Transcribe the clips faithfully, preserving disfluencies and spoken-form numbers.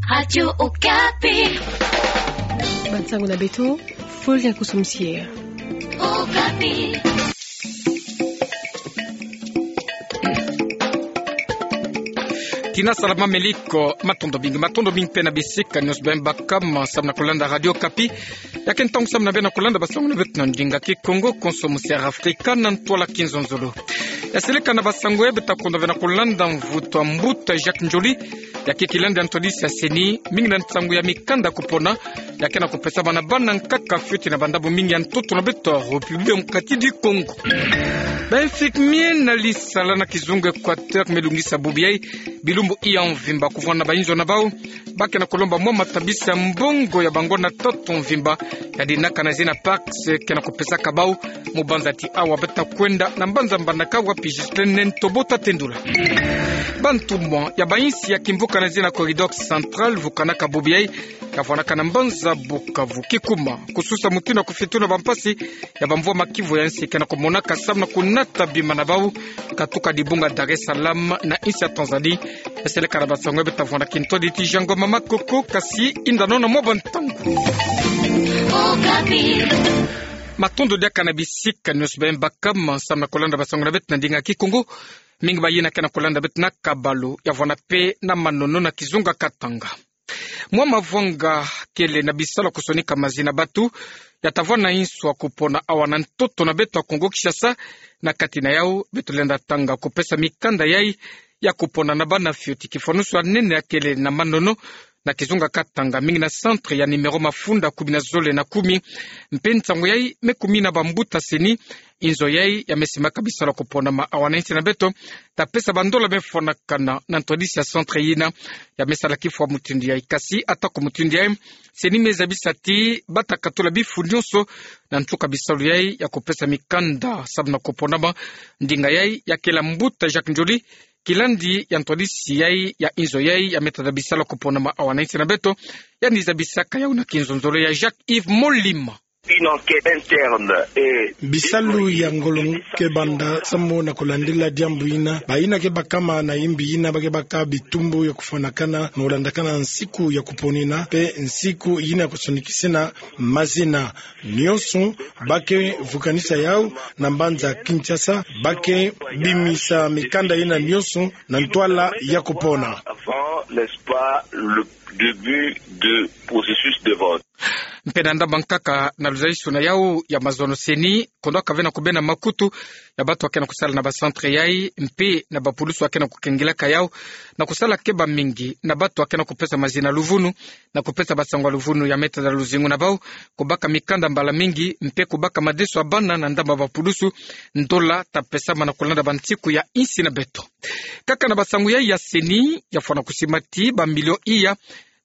Radio Okapi. Bansango na beto, Florian Kusumsier. Okapi. Tina salama meliko, matondo mingi, matondo mingi mpe na bisika nyonso beno baka ma samu na kolanda Radio Okapi. Ya ke ntangu samu na beno kolanda bansango na beto na ndinga Kikongo, konso mu Sierra Africa, na ntwala Kinzonzolo. Ya seleka na bansango ya beto ta kondwa beno kolanda, mvutu a mbuta Jacques Ndjoli, ya ke kilandi ya ntwadisi ya CENI, mingi na nsangu ya mikanda kupona ya ke na kupesama na bana nkaka fioti na bandambu mingi ya ntoto na beto République Démocratique du Congo. Ba infirmiers na lisala na kizunga Équateur me lungisa bubu yai bilumbu iya mvimba kuvwanda na bainzo na bau. Ba ke na kulomba mwa matabisi ya mbongo ya bango na tatu mvimba, ya dinaka na zina Pacs ke na kupesaka bau, mu banza ti awa beto ta kwenda na mbanza mbandaka wapi Ghislain Ntobo ta tendula. Bantumwa ya bainsi ya kimvuka na zina Corridor Central vukanaka bubu yai, ya vwanaka na mbanza Bukavu. Kikuma, kususa mutindu ya kufituna bampasi ya bamvwama kivu ya nsi ke na kumonaka samu na kunata bima na bau, katuka dibunga Dar es Salaam na insi ya Tanzanie. Ya seleka na bansango ya beto ta vwanda kintwadi ti Jean Ngoma Makoko, kasi yinda nona mwa bantangu. Matondo diaka na bisika nyonso beno baka ma samu na kolanda bansango na beto na ndinga Kikongo. Mingi bayina ke na kolanda beto na kabalu, ya vwanda mpe na manono na kizunga Katanga. Mwa mavwanga kele na bisalu ya kusonika mazina batu ya ta vwanda na insu ya kupona awa na ntoto na beto ya Kongo Kinshasa. Na kati na yau beto lenda tanga kupesa mikanda yai ya kupona na bana fioti. Kifwanusu ya nene ya kele na manono na kizunga Katanga, mingi na centre ya numéro mafunda kumi na zole na kumi. Mpe nsangu yai me kumina bambuta CENI, inzo yai ya me simaka bisalu ya kuponama awa na insi na beto ta pesa bandola me fwanakana na ntwadisi ya centre yina ya me sala kifwa mutindu yai. Kasi atako mutindu yai, CENI me zabisa ti ba ta katula bifu nyonso na nsuka bisalu yai ya kupesa mikanda samu na kuponama. Ndinga yai ya kele mbuta Jacques Ndjoli, kilandi ya ntwadisi yai ya inzo yai ya me tada bisalu ya kuponama awa na insi na beto, yandi zabisaka yau na kinzonzolo ya Jacques Yves Molima. Une enquête interne et... Bisalu ya ngolo ke banda samu na kulandila diambu yina. Bayina ke bakama na yimbi yina ba ke baka bitumbu ya kufwanakana na kulandakana nsiku ya kuponina mpe nsiku yina ya kusonikisina mazina. Nyonso ba ke vukanisa yau na mbanza Kinshasa, ba ke bimisa mikanda yina nyonso na ntwala ya kupona. Avant, n'est-ce pas, le début de processus de vote. Mpe na ndambu nkaka na luzaisu na yau ya mazono, CENI kondwaka ve na kubena makutu ya batu ya ke na kusala na ba centre yai, mpe na bapulusu ya ke na kukengilaka yau na kusala ke bamingi na batu ya ke na kupesa mazina luvunu, na kupesa bansangu ya luvunu ya me tada luzingu na bau, kubaka mikanda mbala mingi, mpe kubaka madeso ya bana na ndambu ya bapulusu. Ndola ta pesama na kulanda bansiku ya insi na beto. Kaka na bansangu yai ya CENI, ya fwana kusima ti bamilio iya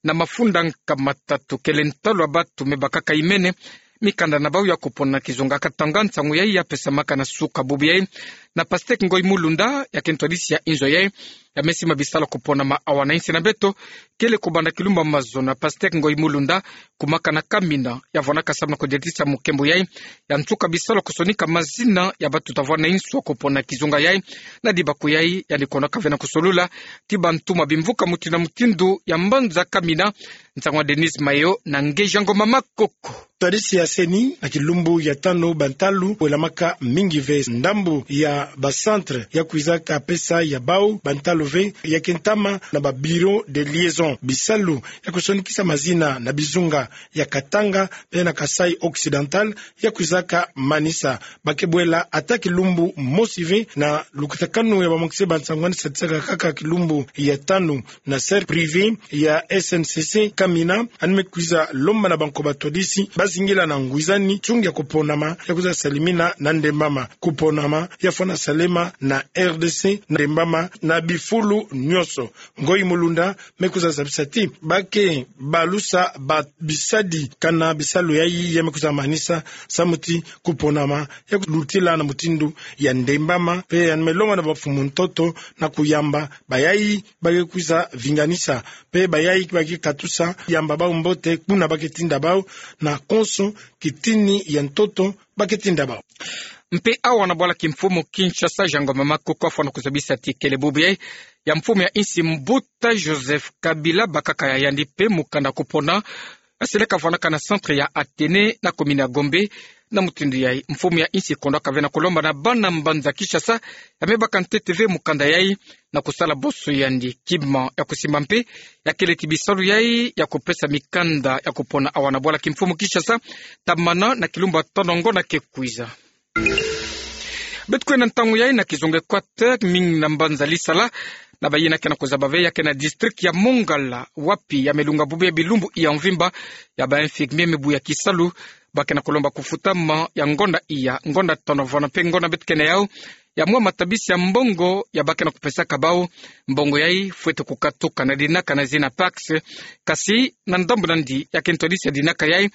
na mafunda nkama tatu kele ntalu ya batu me bakaka imene mikanda na bau ya kupona na kizunga Katanga. Nsangu yai ya pesamaka na suka bubu yai na Pastèque Ngoyi Mulunda, ya ke ntwadisi ya inzo yai ya me sima bisalu ya kuponama awa na insi na beto, kele kubanda kilumbu ya mazono na Pastèque Ngoyi Mulunda, kumaka na kamina ya vwanaka samu na kudiatisa mukembo yai ya nsuka bisalu ya kusonika mazina ya batu ta vwanda na insu ya kupona na kizunga yai. Na dibaku yai, yandi kondwaka ve na kusolula ti bantumwa bimvuka mutindu na mutindu ya mbanza kamina. Nsangu ya Denise Mayo na nge Jean Ngoma Makoko. Ntwadisi ya CENI, na kilumbu ya tanu bantalu welamaka mingi ve ndambu ya ba centre ya kwizaka pesa ya bau, bantalu ve ya ke ntama na ba bureau de liaison. Bisalu ya kusonikisa mazina na bizunga ya Katanga mpe na Kasaï Occidental ya kwizaka manisa. Ba ke bwela ata kilumbu mosi ve na lukutakanu ya bamokisi bansangu yandi sadisaka kaka kilumbu ya tanu na cercle privé ya S N C C kamina, yandi me kwiza lomba na banko batwadisi bazingila na ngwizani nsungi ya kuponama ya kwiza salimina na ndembama. Kuponama ya fwana salema na R D C na ndembama na bifulu nyonso. Ngoyi Mulunda me kwiza zabisa ti ba ke balusa ba bisadi kana bisalu yai ya me kwiza manisa samu ti kuponama ya kulutila na mutindu ya ndembama, mpe yandi me lomba na bamfumu ntoto na kuyamba bayai ba ke kwiza vinganisa, mpe bayai ba ke katusa, yamba bau mbote kuna ba ke tinda bau, na konso kitini ya ntoto ba ke tinda bau. mpe awa na bwala kimfumu Kinshasa, Jean Ngoma Makoko afwana kuzabisa ti kele bubu yai ya mfumu ya insi Mbuta Joseph Kabila bakaka ya yandi mpe mukanda kupona asele kavwanaka na centre ya Athénée na commune ya Gombe. Na mutindu yai, mfumu ya insi kondwa kave na kulomba na bana mbanza Kinshasa ya me baka ntete ve mukanda yai na kusala boso yandi. Kima ya kusimba mpe ya kele ti bisalu yai ya kupesa mikanda ya kupona awa na bwala kimfumu Kinshasa tamana na kilumbu ya tono ngonda ke kwiza. Beto kwenda ntangu yai na kizunga Équateur, mingi na mbanza Lisala na bayina ke na kuzaba ve ya ke na district ya Mongala, wapi ya me lunga bubu ya bilumbu ya mvimba ya ba infirmier mibu ya kisalu ba ke na kulomba kufutama ya ngonda iya, ngonda tono vana mpe ngonda beto ke na yau ya mwa matabisi ya mbongo ya ba ke na kupesaka bau. Mbongo yai fwete kukatuka na dinaka na zina Pacs, kasi na ndambu nandi ya ke ntwadisi ya dinaka yai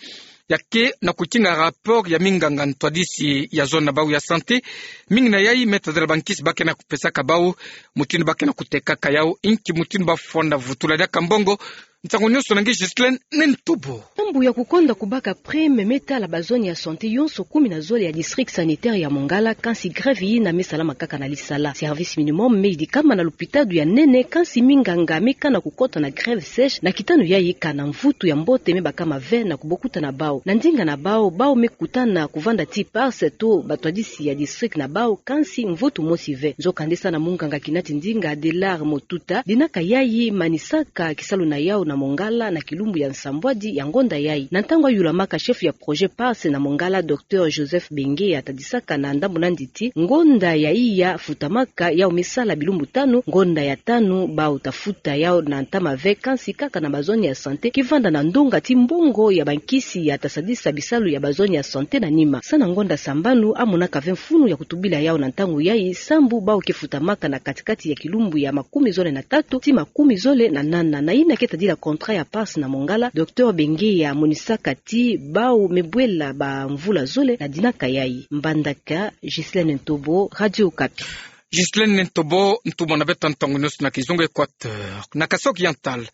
ya ke na kutinga rapport ya minganga ntwadisi ya zone na bau ya santé. Mingi na yai me tadila bankisi ba ke na kupesaka bau, mutindu ba ke na kutekaka yau, inki mutindu ba fwanda vutula diaka mbongo. Nsangu nionso na nge Ghislaine Nentobo. Ndambu ya kukonda kubaka prime me tala ba zone ya santé yonso kumi na zole ya district sanitaire ya Mongala, kansi grève yina me salama kaka na Lisala. Service minimum me yidikama na lupitalu ya nene, kansi minganga me kana kukota na grève sèche na kitanu yai kana mvutu ya mbote me bakama ve na kubokuta na bau. Na ndinga na bau, bau me kutana kuvanda ti Pacs to batwadisi ya district na bau, kansi mvutu mosi ve. Nzokande sa na munganga kina ti ndinga Delard Motuta, dinaka yai manisaka kisalu na yau na Mongala na kilumbu ya nsambwadi ya ngonda yai. Na ntangu ayulamaka chef ya projet Pacs na Mongala, Docteur Joseph Benge, atadisaka na ndambu nandi ti ngonda ya iya futamaka yau me sala bilumbu tanu, ngonda ya tanu bau tafuta yau na ntama ve, kansi kaka na ba zone ya santé kivanda na ndonga ti mbongo ya bankisi ya tasadisa bisalu ya ba zone ya santé na nima. Sa na ngonda sambanu amonaka ve mfunu ya kutubila yau na ntangu yai, sambu bau ke futamaka na katikati ya kilumbu ya makumi zole na tatu ti makumi zole na nana. Na yina ke tadila contrat ya Pacs na Mongala, Docteur Benge amonisaka ti bau me bwela ba mvula zole na dinaka yai. Mbandaka, Ghislaine Ntobo, Radio Okapi. Ghislaine Ntobo, ntumwa na beto ntangu nionso na kizunga Équateur. Na Kasaï Oriental,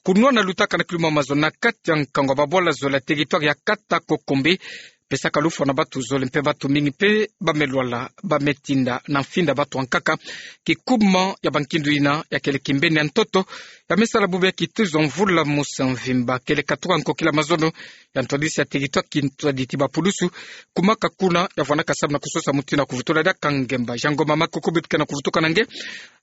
kunwana lutaka na kiluma mazono na kati ya nkangu ya babwala zole ya territoire ya Kata Kokombe, pesaka lufwa na batu zole mpe batu mingi mpe ba me lwala, ba me tinda na mfinda batu ya nkaka. Kikuma ya bankindu yina ya kele kimbeni ya ntoto ya me sala bubu ya kituzo mvula mosi ya mvimba. Kele katuka nkokila mazono ya ntwadisi ya territoire kintwadi ti bapulusu, kumaka kuna ya vwanaka samu na kusosa mutindu ya kuvutula diaka ngemba. Jean Ngoma Makoko beto ke na kuvutuka na nge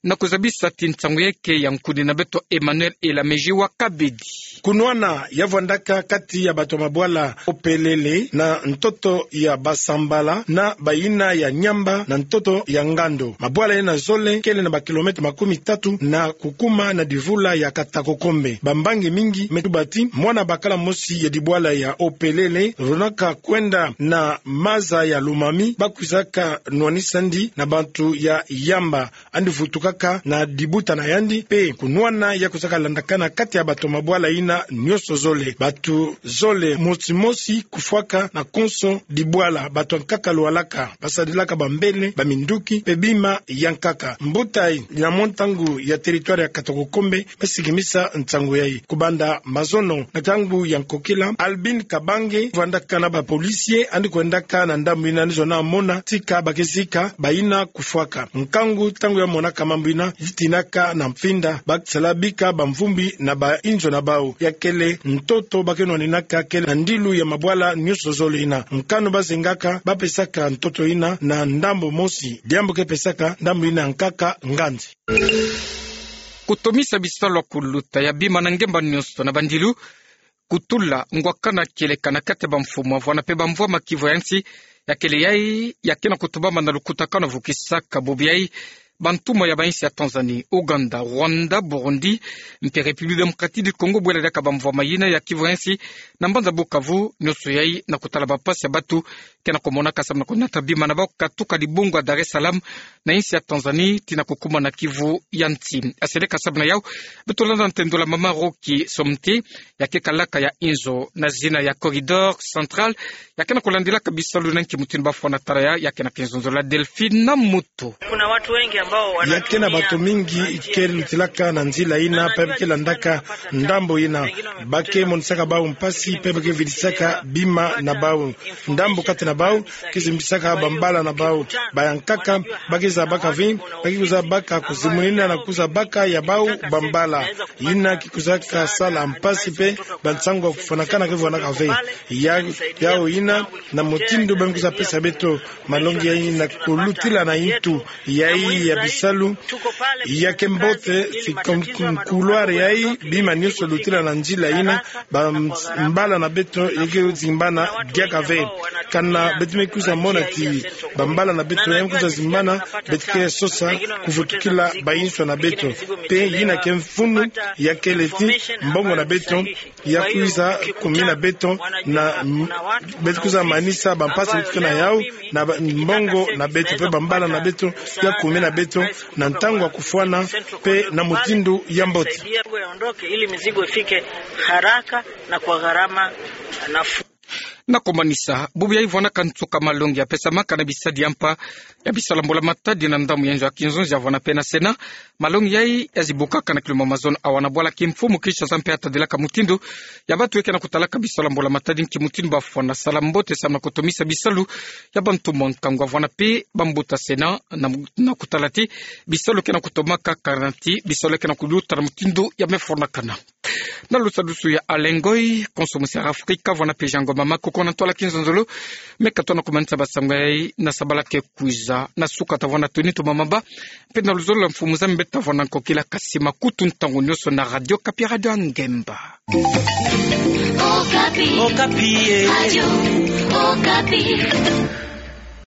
na kuzabisa ti nsangu yeke ya nkuni na beto Emmanuel Elamezi wa Kabedi. Kunwana ya vwandaka kati ya batu ya mabwala Opelele na ntoto ya Basambala na bayina ya Nyamba na ntoto ya Ngando. Mabwala yena zole kele na ba kilomètre makumi tatu na kukuma na divula ya Kata Kokombe. Bambangi mingi me tuba ti mwana bakala mosi ya dibwala ya Opelele, lonaka kwenda na maza ya Lomami, ba kwizaka nwanisa ndi na bantu ya Yamba. Yandi vutukaka na dibuta na yandi, mpe kunwana ya kwizaka landakana kati ya batu ya mabwala yina nionso zole. Batu zole mosi mosi kufwaka na konso dibwala, batu ya nkaka lwalaka, basadilaka bambele, baminduki, mpe bima ya nkaka. Mbuta yina mwa ntangu ya territoire ya Kata Kokombe me sikimisa nsangu yayi. Kubanda mazono na ntangu ya nkokila, Albin Kabange, vwandaka na ba policiers, yandi kwendaka na ndambu yina, yandi zona mona tika ba ke zika bayina kufwaka. Nkangu ntangu ya monaka mambu yina, yitinaka na mfinda, ba sala bika bamvumbi na ba inzo na bau. Ya kele ntoto ba ke nwaninaka kele na ndilu ya mabwala nionso zole yina. Nkanu ba zengaka, ba pesaka ntoto yina na ndambu mosi. Diambu ke pesaka ndambu yina ya nkaka nganzi. Kutomisa bisalu ya kuluta ya bima na ngemba nionso na bandilu, kutula ngwakana kieleka na kati ya bamfumu ya vwanda mpe bamvwama kivu ya nsi, ya kele yayi ya ke na kutumbama na lukutakanu ya vukisaka bubu yayi bantumwa ya bainsi ya Tanzanie, Ouganda, Rwanda, Burundi, mpe République Démocratique du Congo, bwela diaka bamvwama yina ya kivu ya nsi na mbanza Bukavu, nionso yayi na kutala bampasi ya batu ke na kumonaka samu na kunata bima na bau katuka dibungu ya Dar es Salaam na insi ya Tanzanie tii na kukuma na kivu ya nsi. Aseleka samu na yau, beto landa ntendula mama Rocky Somte, ya ke kalaka ya inzo na zina ya Corridor Central, ya ke na kulandilaka bisalu na nki mutindu ba fwana tala ya, ya ke na kinzonzolo ya Delphine Namuto. Kuna watu wengi Ya ke na bato mingi ke lutilaka na nzila ina, pe ba ke landaka ndambo ina. Ba ke monisaka bau mpasi, pe ba ke vidisaka bima na bau. Ndambo kati na bau ke zimbisaka bambala na bau. Bayankaka ba ke zabaka ve, ba ke kwiza baka kuzimunina na kwiza baka ya bau bambala. Ina ke kwizaka sala mpasi pe bansangu ya kufwanakana ke fwanaka ve. Ya, yau ina na mutindu ba me kwiza pesa beto malongi yayi na kulutila na ntu yayi ya bisalu. Ya ke mbote, si kum-, kum-, couloir yayi, bima nionso lutila na nzila ina, bambala na beto ya ke zimbana diaka ve. Kana beto me kwiza mona ti bambala na beto ya me kwiza zimbana, beto ke sosa kuvutukila bayinswa na beto. Pe ina ke mfunu ya kele ti mbongo na beto ya kwiza kumina beto na m-, beto kwiza manisa bampasi beto ke na yau, na ba-, mbongo na beto, pe bambala na beto ya kumina beto na ntangu ya kufwana, pe na mutindu ya mbote. Ili mizigo ifike haraka na kwa gharama nafuu. Na komanisa, bubu yayi vwanaka nsuka malongi ya pesamaka na bisadi ya mpa ya bisalu ya mbula matadi na ndambu ya nzo ya kinzonzi ya vwana pe na Sénat. Malongi yayi ya zibukaka na kilumbu mazono awa na bwala kimfumu Kinshasa mpe ya tadilaka mutindu ya bato ya ke na kutalaka bisalu ya mbula matadi, nki mutindu ba fwana sala mbote samu na kotomisa bisalu ya bantu mwa nkangu. Avwana pe bambuta Sénat na, na kutala ti bisalu ke na kutomaka kana ti bisalu ke na kuluta na mutindu ya me fwanakana. Na lusadusu ya Alain Ngoy, konso musi ya Afrika, avwana pe Jean Ngoma Makoko na ntwala Kinzonzolo. Me katoa na kumanisa basangu yayi na sabala ke kwiza. Na suka ta vwana toni toma maba, mpe na luzolo lwa mfumu zame, beta vwana nkokila kasi makutu ntangu nionso na Radio Okapi, Radio ya ngemba. Okapi. Okapi, eh. Radio Okapi.